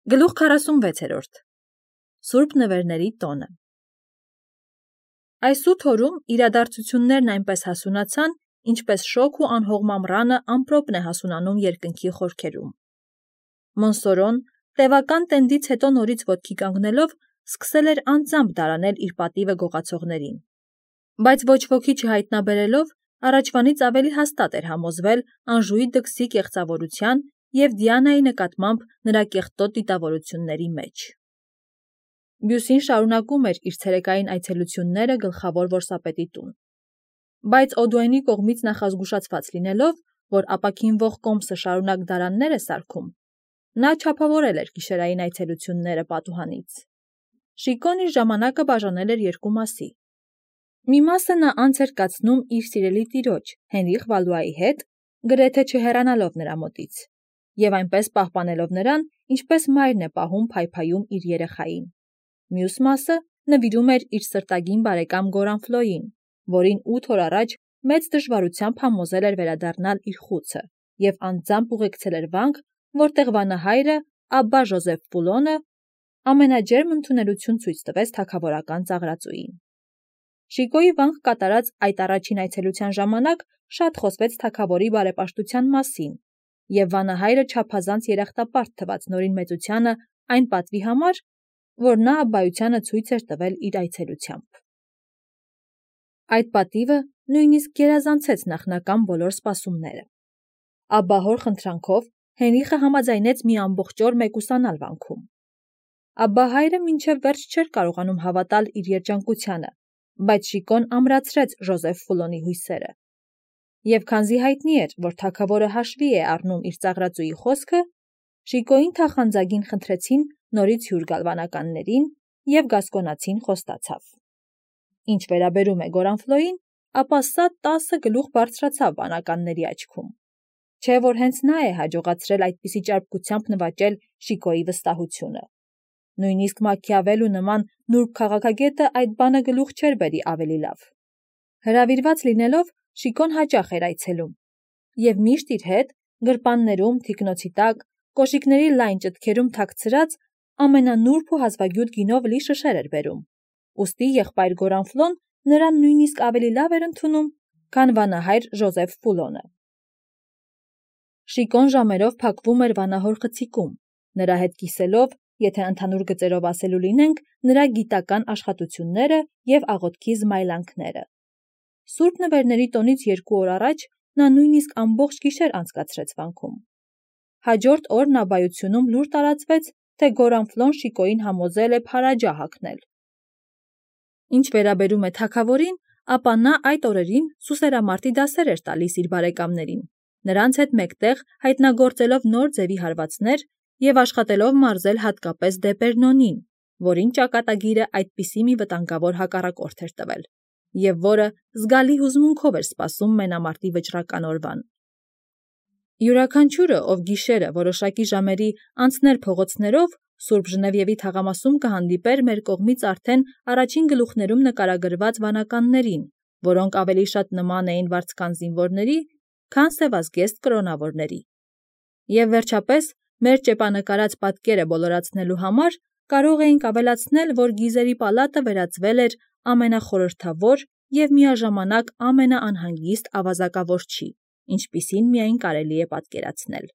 Գլուխ 46 Սուրբ նվերների տոնը Այս 8 օրում իրադարձություններն այնպես հասունացան, ինչպես շոգ ու անհող մամռանը ամպրոպն է հասունանում երկնքի խորքերում։ Մոնսորոն, տևական տենդից հետո նորից ոտքի կանգնելով, սկսել էր անձամբ դարանել իր պատիվը գողացողներին։ Բայց ոչ ոքի չհայտնաբերելով, առաջվանից ավելի հաստատ էր համոզվել Անժուի դքսի կեղծավորության և Դիանայի նկատմամբ նրա կեղտոտ դիտավորությունների մեջ։ Բյուսին շարունակում էր իր ցերեկային այցելությունները գլխավոր որսապետի տուն։ Բայց Օդուենի կողմից նախազգուշացված լինելով, որ ապաքինվող կոմսը շարունակ դարաններ է սարքում, նա չափավորել էր գիշերային այցելությունները պատուհանից։ Շիկոն իր ժամանակը բաժանել էր երկու մասի։ Մի մասը նա անց էր կացնում իր սիրելի տիրոջ Հենրիխ Վալուայի հետ, գրեթե չհեռանալով նրա մոտից, և այնպես պահպանելով նրան, ինչպես մայրն է պահում փայփայում իր երեխային։ Մյուս մասը նվիրում էր իր սրտագին բարեկամ Գորանֆլոյին, որին 8 օր առաջ մեծ դժվարությամբ համոզել էր վերադառնալ իր խուցը և անձամբ ուղեկցել էր վանք, որտեղ վանահայրը Աբբա Ժոզեֆ Պուլոնը ամենաջերմ ընդունելություն ցույց տվեց թագավորական ծաղրածուին։ Շիկոյի վանք կատարած այդ առաջին այցելության ժամանակ շատ խոսվեց թագավորի բարեպաշտության մասին, և վանահայրը չափազանց երախտապարտ թվաց նորին մեծությանը այն պատվի համար, որ նա Աբբայությանը ցույց էր տվել իր այցելությամբ։ Այդ պատիվը նույնիսկ գերազանցեց նախնական բոլոր սպասումները։ Աբբահոր խնդրանքով Հենրիխը համաձայնեց մի ամբողջ օր մեկուսանալ վանքում։ Աբբահայրը մինչև վերջ չէր կարողանում հավատալ իր երջանկությանը, բայց Շիկոն ամրացրեց Ժոզեֆ Ֆուլոնի հույսերը։ Եվ քանզի հայտնի էր, որ թագավորը հաշվի է առնում իր ծաղրածուի խոսքը, Շիկոյին թախանձագին խնդրեցին նորից հյուր գալ վանականներին, և գասկոնացին խոստացավ։ Ինչ վերաբերում է Գորանֆլոյին, ապա սա 10 գլուխ բարձրացավ վանականների աչքում։ Չէ՞ որ հենց նա է հաջողացրել այդպիսի ճարպկությամբ նվաճել Շիկոյի վստահությունը։ Նույնիսկ Մաքիավելլու նման նուրբ քաղաքագետը այդ բանը գլուխ չէր բերի ավելի լավ։ Հրավիրված լինելով, Շիկոն հաճախ էր այցելում, և միշտ իր հետ գրպաններում, թիկնոցի տակ, կոշիկների լայն ճտքերում թաքցրած ամենանուրբ ու հազվագյուտ գինով լի շշեր էր բերում, ուստի եղբայր Գորանֆլոն նրան նույնիսկ ավելի լավ էր ընդունում, քան վանահայր Ժոզեֆ Պուլոնը։ Շիկոն ժամերով փակվում էր վանահոր խցիկում, նրա հետ կիսելով, եթե ընդհանուր գծերով ասելու լինենք, նրա գիտական աշխատությունները և աղոթքի զմայլանքները։ Սուրբ նվերների տոնից 2 օր առաջ նա նույնիսկ ամբողջ գիշեր անցկացրեց վանքում։ Հաջորդ օրն Աբբայությունում լուր տարածվեց, թե Գորանֆլոն Շիկոյին համոզել է փարաջա հագնել։ Ինչ վերաբերում է թագավորին, ապա նա այդ օրերին սուսերամարտի դասեր էր տալիս իր բարեկամներին, նրանց հետ մեկտեղ հայտնագործելով նոր ձևի հարվածներ և աշխատելով մարզել հատկապես Դեպերնոնին, որին ճակատագիրը այդպիսի մի վտանգավոր հակառակորդ էր տվել, և որը զգալի հուզմունքով էր սպասում մենամարտի վճռական օրվան։ Յուրաքանչյուրը, ով գիշերը որոշակի ժամերի անցներ փողոցներով, Սուրբ Ժնևիևի թաղամասում կհանդիպեր մեր կողմից արդեն առաջին գլուխներում նկարագրված վանականներին, որոնք ավելի շատ նման էին վարձկան զինվորների, քան սևազգեստ կրոնավորների։ Եվ վերջապես, մեր ճեպանկարած պատկերը բոլորացնելու համար կարող էինք ավելացնել, որ Գիզերի պալատը վերածվել էր ամենախորհրդավոր և միաժամանակ ամենաանհանգիստ ավազակավորչի, ինչպիսին միայն կարելի է պատկերացնել։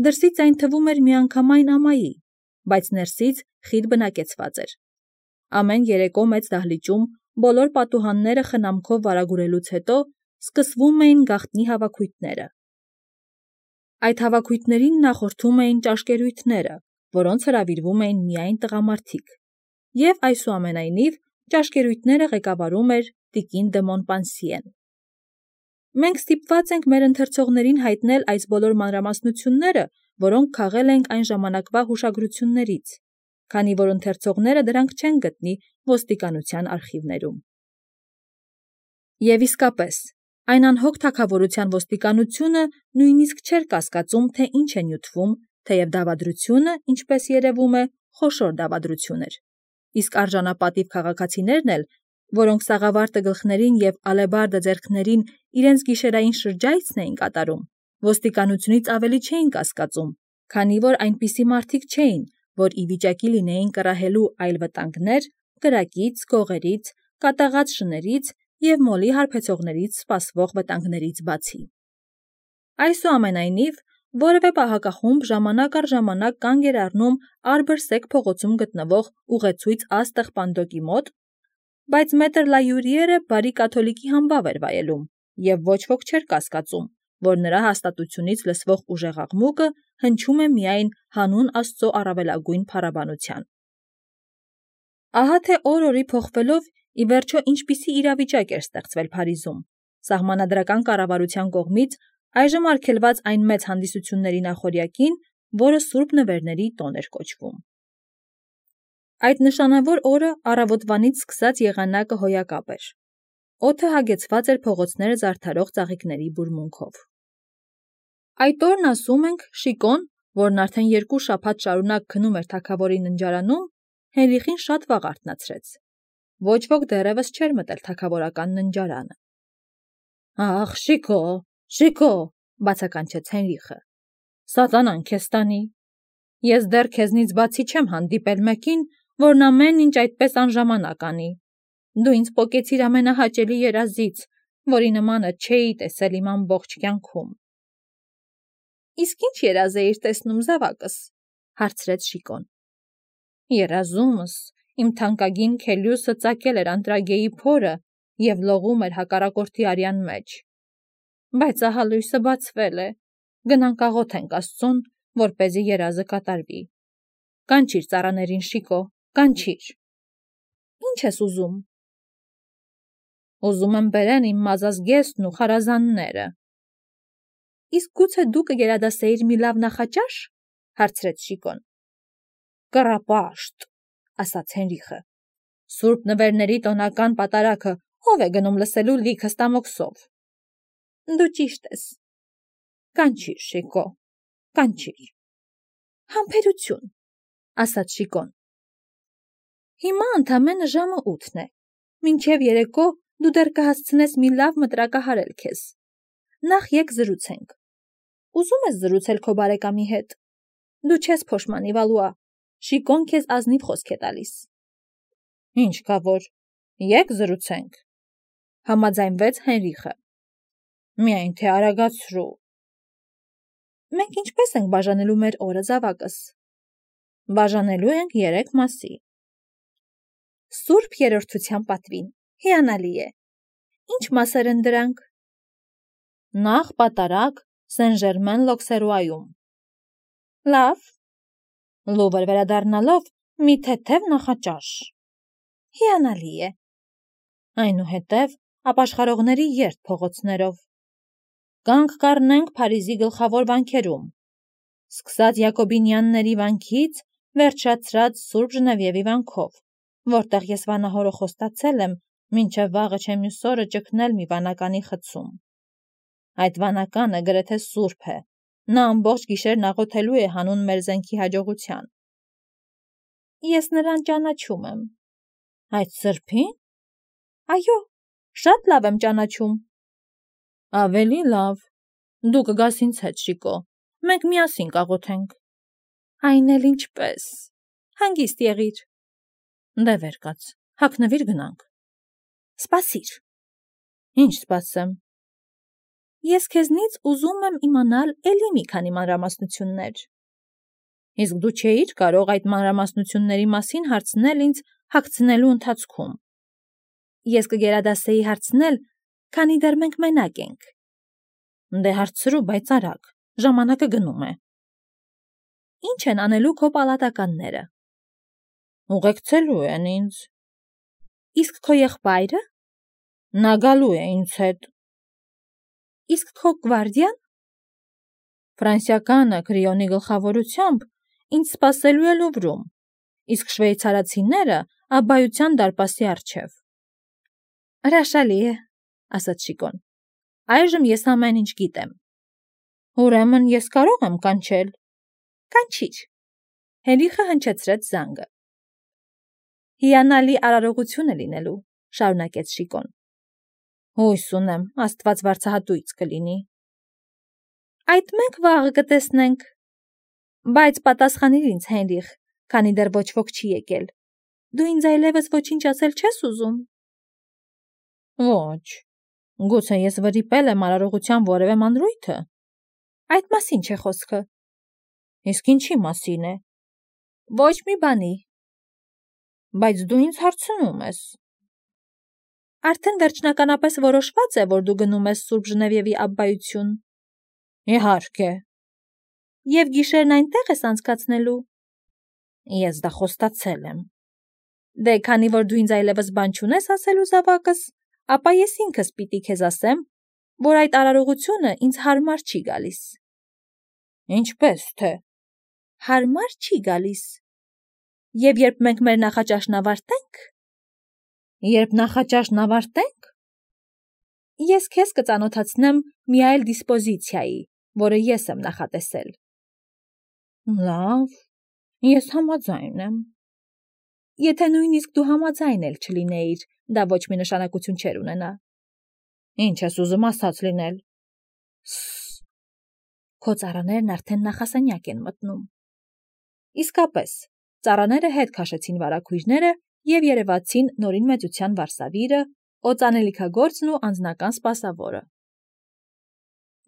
Դրսից այն թվում էր միանգամայն ամայի, բայց ներսից խիտ բնակեցված էր։ Ամեն երեկո մեծ դահլիճում բոլոր պատուհանները խնամքով վարագուրելուց հետո սկսվում էին գաղտնի հավաքույթները։ Այդ հավաքույթներին նախորդում էին ճաշկերույթները, որոնց հրավիրվում էին միայն տղամարդիկ, և այսուամենայնիվ ճաշկերույթները ղեկավարում էր տիկին դը Մոնպանսիեն։ Մենք ստիպված ենք մեր ընթերցողներին հայտնել այս բոլոր մանրամասնությունները, որոնք քաղել ենք այն ժամանակվա հուշագրություններից, քանի որ ընթերցողները դրանք չեն գտնի ոստիկանության արխիվներում։ Եվ իսկապես, այն անհոգ թագավորության ոստիկանությունը նույնիսկ չէր կասկածում, թե ինչ է նյութվում, թեև դավադրությունը, ինչպես երևում է, խոշոր դավադրություն էր, իսկ արժանապատիվ քաղաքացիներն էլ, որոնք սաղավարտը գլխներին և ալեբարդը ձեռքներին իրենց գիշերային շրջայցն էին կատարում, ոստիկանությունից ավելի չէին կասկածում, Քանի որ այնպիսի մարդիկ չէին, որ ի վիճակի լինեին կռահելու այլ վտանգներ, կրակից, գողերից, կատաղած շներից և մոլի հարբեցողներից սպասվող վտանգներից բացի։ Այսուամենայնիվ, որևէ պահակախումբ ժամանակ առ ժամանակ կանգ էր առնում Արբրսեկ փողոցում գտնվող ուղեցույց աստղ Պանդոկի մոտ, բայց մետր Լայուրիերը բարի կաթոլիկի համբավ էր վայելում և ոչ ոք չէր կասկածում, որ նրա հաստատությունից լսվող ուժեղ աղմուկը հնչում է միայն հանուն Աստծո առավելագույն փառաբանության։ Ահա թե օր-օրի փոխվելով ի վերջո ինչպիսի իրավիճակ էր ստեղծվել Փարիզում, սահմանադրական կառավարության կողմից այժմ արգելված այն մեծ հանդիսությունների նախօրյակին, որը Սուրբ Նվերների տոն էր կոչվում։ Այդ նշանավոր օրը առավոտվանից սկսած եղանակը հոյակապ էր։ Օդը հագեցված էր փողոցները զարդարող ծաղիկների բուրմունքով։ Այդ օրն, ասում ենք, Շիկոն, որն արդեն 2 շաբաթ շարունակ քնում էր թագավորի ննջարանում, Հենրիխին շատ վաղ արթնացրեց։ Ոչ ոք դեռևս չէր մտել թագավորական ննջարանը։ «Ախ, Շիկո», բացականչեց Հենրիխը, «սատանան քեզ տանի։ Ես դեռ քեզնից բացի չեմ հանդիպել մեկին, որն ամեն ինչ այդպես անժամանակ անի։ Դու ինձ պոկեցիր ամենահաճելի երազից, որի նմանը չէի տեսել իմ ամբողջ կյանքում»։ «Իսկ ի՞նչ երազ էիր տեսնում, զավակս», հարցրեց Շիկոն։ «Երազումս իմ թանկագին Քելիուսը ծակել էր Անտրագեի փորը և լողում էր հակառակորդի արյան մեջ։ Բայց ահա լույսը բացվել է, գնանք աղոթենք Աստծուն, որպեսզի երազը կատարվի։ Կանչիր ծառաներին, Շիկո, կանչիր»։ «Ի՞նչ ես ուզում»։ «Ուզում եմ բերեն իմ մազազգեստն ու խարազանները»։ «Իսկ գուցե դու կգերադասեիր մի լավ նախաճաշ», հարցրեց Շիկոն։ «Կռապաշտ», ասաց Հենրիխը։ «Սուրբ Նվերների տոնական պատարագը ով է գնում լսելու լիքը ստամոքսով»։ «Դու ճիշտ ես»։ «Կանչիր, Շիկո, կանչիր»։ «Համբերություն», ասաց Շիկոն։ «Հիմա ընդամենը ժամը 8 է։ Մինչև երեկո դու դեռ կհասցնես մի լավ մտրակահարել քեզ։ Նախ եկ զրուցենք։ Ուզում ես զրուցել քո բարեկամի հետ։ Դու չես փոշմանի, Վալուա, Շիկոն քեզ ազնիվ խոսք է տալիս»։ «Ինչ կա որ, եկ զրուցենք», համաձայնվեց Հենրիխը։ «Միայն թե արագացրու»։ «Մենք ինչպես ենք բաժանելու մեր օրը, զավակս»։ «Բաժանելու ենք 3 մասի»։ «Սուրբ Երրորդության պատվին, հիանալի է։ Ինչ մասեր են դրանք»։ «Նախ պատարագ Սեն Ժերմեն-Լոքսերուայում»։ «Լավ»։ «Լուվր վերադառնալով մի թեթև նախաճաշ»։ «Հիանալի է»։ «Այնուհետև ապաշխարողների երթ փողոցներով»։ «Կանգ կառնենք Փարիզի գլխավոր վանքերում, սկսած Յակոբինյանների վանքից, վերջացրած Սուրբ Ժնևիևի վանքով, որտեղ ես վանահորը խոստացել եմ մինչև վաղը չէ մյուս օրը ճգնել մի վանականի խցում։ Այդ վանականը գրեթե սուրբ է, նա ամբողջ գիշերն աղոթելու է հանուն մեր զենքի հաջողության»։ «Ես նրան ճանաչում եմ»։ «Այդ սրբի՞ն»։ «Այո, շատ լավ եմ ճանաչում»։ «Ավելի լավ, դու կգաս ինձ հետ, Շիկո, մենք միասին կաղոթենք»։ «Այն էլ ինչպես, հանգիստ եղիր»։ «Դե վեր կաց, հագնվիր գնանք»։ «Սպասիր»։ «Ինչ սպասեմ»։ «Ես քեզնից ուզում եմ իմանալ էլի մի քանի մանրամասնություններ»։ «Իսկ դու չէիր կարող այդ մանրամասնությունների մասին հարցնել ինձ հագցնելու ընթացքում»։ «Ես կգերադասեի հարցնել, քանի դեռ մենք մենակ ենք»։ «Դե հարցրու, բայց արագ, ժամանակը գնում է»։ «Ինչ են անելու քո պալատականները»։ «Ուղեկցելու են ինձ»։ «Իսկ քո եղբայրը»։ «Նա գալու է ինձ հետ»։ «Իսկ քո գվարդիան»։ «Ֆրանսիականը Քրիոնի գլխավորությամբ ինձ սպասելու է Լուվրում, իսկ շվեյցարացիները Աբբայության դարպասի առջև»։ «Հրաշալի է», ասաց Շիկոն։ «Այժմ ես ամեն ինչ գիտեմ»։ «Ուրեմն ես կարող եմ կանչել»։ «Կանչիր»։ Հենրիխը հնչեցրեց զանգը։ «Հիանալի արարողություն է լինելու», շարունակեց Շիկոն։ «Հույս ունեմ, Աստված վարձահատույց կլինի»։ «Այդ մենք վաղը կտեսնենք»։ Բայց պատասխանիր ինձ, Հենրիխ, քանի դեռ ոչ ոք չի եկել։ Դու ինձ այլևս ոչինչ ասել չես ուզում։ Ոչ։ Գուցե ես վրիպել եմ արարողության որևէ մանրույթը։ Այդ մասին չէ խոսքը։ Իսկ ինչի մասին է։ Ոչ մի բանի։ Բայց դու ինձ հարցնում ես։ Արդեն վերջնականապես որոշված է, որ դու գնում ես Սուրբ Ժնևիևի աբբայություն։ Իհարկե։ Եվ գիշերն այնտեղ ես անցկացնելու։ Ես դա խոստացել եմ։ Դե քանի որ դու ինձ այլևս բան չունես ասելու զավակս, ապա ես ինքս պիտի քեզ ասեմ, որ այդ արարողությունը ինձ հարմար չի գալիս։ Ինչպես թե։ Հարմար չի գալիս։ Եվ երբ մենք մեր նախաճաշն ավարտենք։ Երբ նախաճաշն ավարտենք։ Ես քեզ կծանոթացնեմ մի այլ դիսպոզիցիայի, որը ես եմ նախատեսել։ Լավ, ես համաձայն եմ։ Եթե նույնիսկ դու համաձայն էլ չլինեիր, դա ոչ մի նշանակություն չէր ունենա։ Ինչ ես ուզում ասած լինել։ Քո ծառաներն արդեն նախասենյակ են մտնում։ Իսկապես, ծառաները հետ քաշեցին վարագույրները և երևացին Նորին մեծության վարսավիրը, օծանելիքագործն ու անձնական սպասավորը։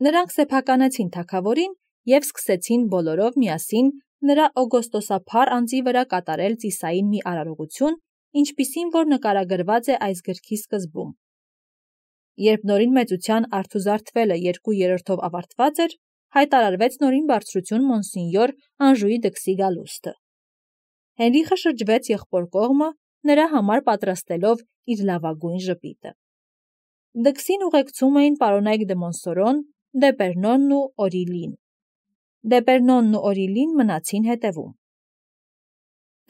Նրանք սեփականեցին թագավորին և սկսեցին բոլորով միասին նրա օգոստոսափառ անձի վրա կատարել ծիսային մի արարողություն, ինչպիսին որ նկարագրված է այս գրքի սկզբում։ Երբ Նորին մեծության արդուզարդվելը 2/3 ավարտված էր, հայտարարվեց Նորին բարձրություն մոնսինյոր Անժուի դքսի գալուստը։ Հենրիխը շրջվեց եղբոր կողմը, նրա համար պատրաստելով իր լավագույն ժպիտը։ Դքսին ուղեկցում էին պարոնայք դե Մոնսորոն, Դեպերնոնն ու Օրիլին։ Դեպերնոնն ու Օրիլին մնացին հետևում։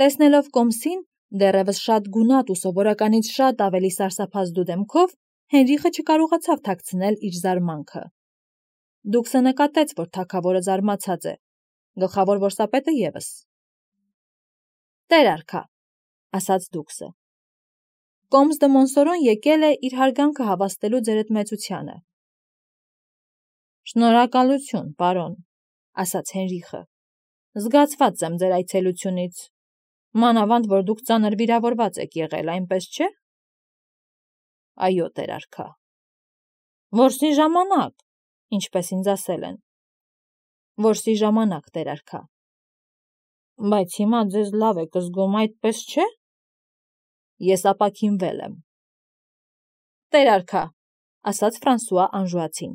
Տեսնելով կոմսին, դեռևս շատ գունատ ու սովորականից շատ ավելի սարսափազդու դեմքով, Հենրիխը չկարողացավ թաքցնել իր զարմանքը։ Դուքսը նկատեց, որ թագավորը զարմացած է, գլխավոր որսապետը ևս։ Տեր արքա, ասաց դուքսը։ Կոմս դե Մոնսորոն եկել է իր հարգանքը հավաստելու ձերդ մեծությանը։ Շնորհակալություն, պարոն, ասաց Հենրիխը։ Զգացված եմ ձեր այցելությունից։ Մանավանդ, որ դուք ծանր վիրավորված եք եղել, այնպես չէ։ Այո, տեր արքա։ Որսի ժամանակ, ինչպես ինձ ասել են։ Որսի ժամանակ, տեր արքա։ Բայց հիմա ձեզ լավ եք զգում, այդպես չէ։ Ես ապաքինվել եմ։ Տեր արքա, ասաց Ֆրանսուଆ Անժուացին։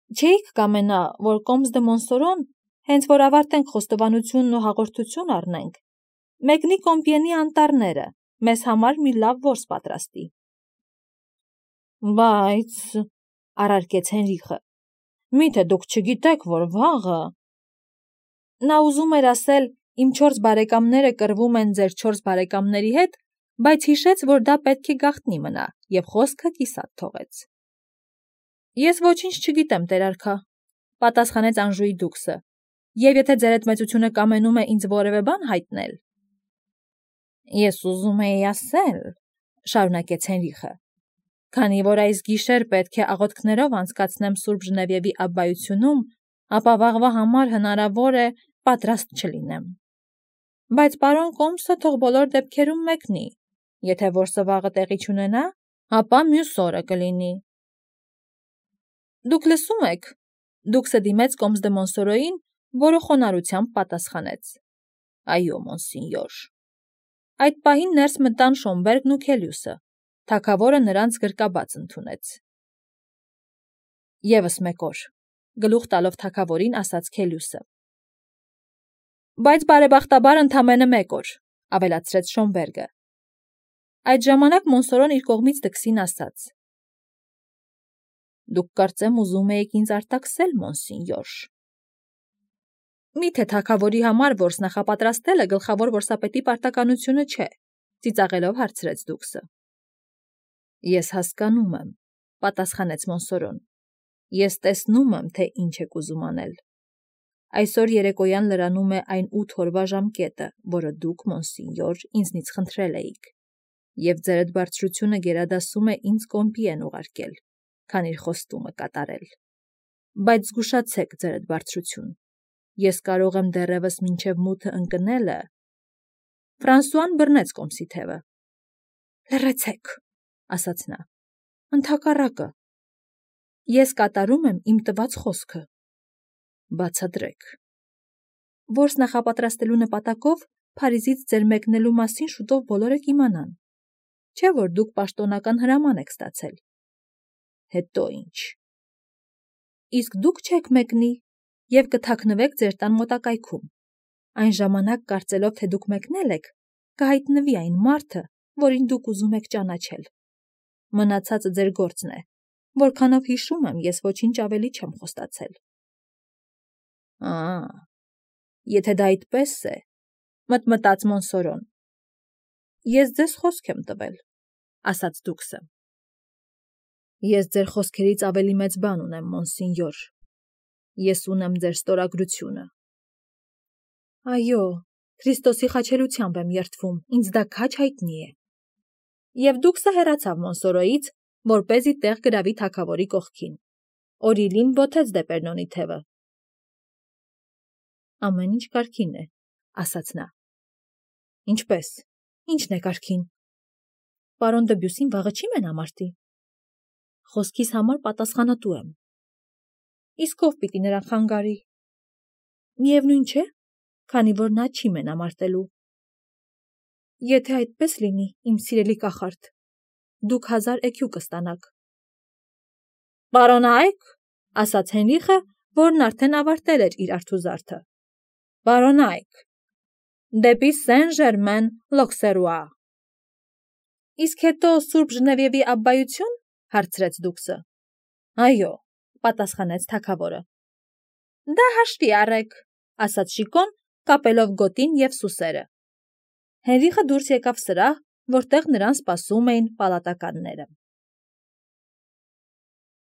Չէիք կամենա, որ Կոմս դե Մոնսորոն, հենց որ ավարտենք խոստովանությունն ու հաղորդություն առնենք, մեկնի Կոմպիենի անտառները, մեզ համար մի լավ որս պատրաստի։ Բայց, առարկեց Հենրիխը, միթե դուք չգիտեք, որ վաղը։ Նա ուզում էր ասել, իմ 4 բարեկամները կռվում են ձեր 4 բարեկամների հետ, բայց հիշեց, որ դա պետք է գաղտնի մնա, և խոսքը կիսատ թողեց։ Ես ոչինչ չգիտեմ, տեր արքա, պատասխանեց Անժուի դուքսը, և եթե ձերդ մեծությունը կամենում է ինձ որևէ բան հայտնել։ Ես ուզում էի ասել, շարունակեց Հենրիխը, քանի որ այս գիշեր պետք է աղոթքներով անցկացնեմ Սուրբ Ժնևիևի աբբայությունում, ապա վաղվա համար հնարավոր է պատրաստ չլինեմ։ Բայց պարոն Կոմսը թող բոլոր դեպքերում մեկնի, եթե որսը վաղը տեղի չունենա, ապա մյուս օրը կլինի։ Դուք լսում եք, դուքսը դիմեց Կոմս դե Մոնսորոյին, որը խոնարհությամբ պատասխանեց. Այո, մոնսինյոր։ Այդ պահին ներս մտան Շոմբերգն ու Քելյուսը, թագավորը նրանց գրկաբաց ընդունեց։ Եվս մեկ օր, գլուխ տալով թագավորին ասաց Քելյուսը։ Բայց բարեբախտաբար ընդամենը մեկ օր, ավելացրեց Շոմբերգը։ Այդ ժամանակ Մոնսորոն իր կողմից դքսին ասաց. Դուք կարծեմ ուզում եք ինձ արտաքսել, մոնսինյոր։ Միթե թագավորի համար որս նախապատրաստելը գլխավոր որսապետի պարտականությունը չէ, ծիծաղելով հարցրեց դուքսը։ Ես հասկանում եմ, պատասխանեց Մոնսորոն։ Ես տեսնում եմ, թե ինչ եք ուզում անել։ Այսօր երեկոյան լրանում է այն 8 օրվա ժամկետը, որը դուք, մոնսինյոր, ինձնից խնդրել էիք, և ձերդ բարձրությունը գերադասում է ինձ Կոմպիեն ուղարկել, քան իր խոստումը կատարել։ Բայց զգուշացեք, ձերդ բարձրություն, Ես կարող եմ դեռևս մինչև մութը ընկնելը։ Ֆրանսուան բռնեց կոմսի թևը։ Լռեցեք, ասաց նա։ Ընդհակառակը։ Ես կատարում եմ իմ տված խոսքը։ Բացատրեք։ Որս նախապատրաստելու նպատակով Փարիզից ձեր մեկնելու մասին շուտով բոլորը կիմանան։ Չէ՞ որ դուք պաշտոնական հրաման եք ստացել։ Հետո ինչ։ Իսկ դուք չեք մեկնի և կթաքնվեք ձեր տան մոտակայքում։ Այն ժամանակ, կարծելով, թե դուք մեկնել եք, կհայտնվի այն մարդը, որին դուք ուզում եք ճանաչել։ Մնացածը ձեր գործն է, որքանով հիշում եմ, ես ոչինչ ավելի չեմ խոստացել։ Եթե դա այդպես է, մտմտաց Մոնսորոն։ Ես ձեզ խոսք եմ տվել, ասաց դուքսը։ Ես ձեր խոսքերից ավելի մեծ բան ունեմ, մոնսինյոր։ Ես ունեմ ձեր ստորագրությունը։ Այո, Քրիստոսի խաչելությամբ եմ երդվում, ինձ դա քաջ հայտնի է։ Եվ դուքսը հեռացավ Մոնսորոյից, որպեսզի տեղ գրավի թագավորի կողքին։ Օրիլին բոթեց Դեպերնոնի թևը։ Ամեն ինչ կարգին է, ասաց նա։ Ինչպես, ինչն է կարգին։ Պարոն Դբյուսին վաղը չի մենամարտի։ Խոսքիս համար պատասխանատու եմ։ Իսկ ով պիտի նրան խանգարի։ Միևնույն չէ, քանի որ նա չի մենամարտելու։ Եթե այդպես լինի, իմ սիրելի կախարդ, դուք 1000 էքյու կստանաք։ Պարոնայք, ասաց Հենրիխը, որն արդեն ավարտել էր իր արթուզարդը։ Պարոնայք, դեպի Սեն-Ժերմեն Լոքսերուա։ Իսկ հետո Սուրբ Ժնևիևի աբբայություն, հարցրեց դուքսը։ Այո, պատասխանեց թագավորը։ Դա հաշվի առեք, ասաց Շիկոն, կապելով գոտին և սուսերը։ Հենրիխը դուրս եկավ սրահ, որտեղ նրան սպասում էին պալատականները։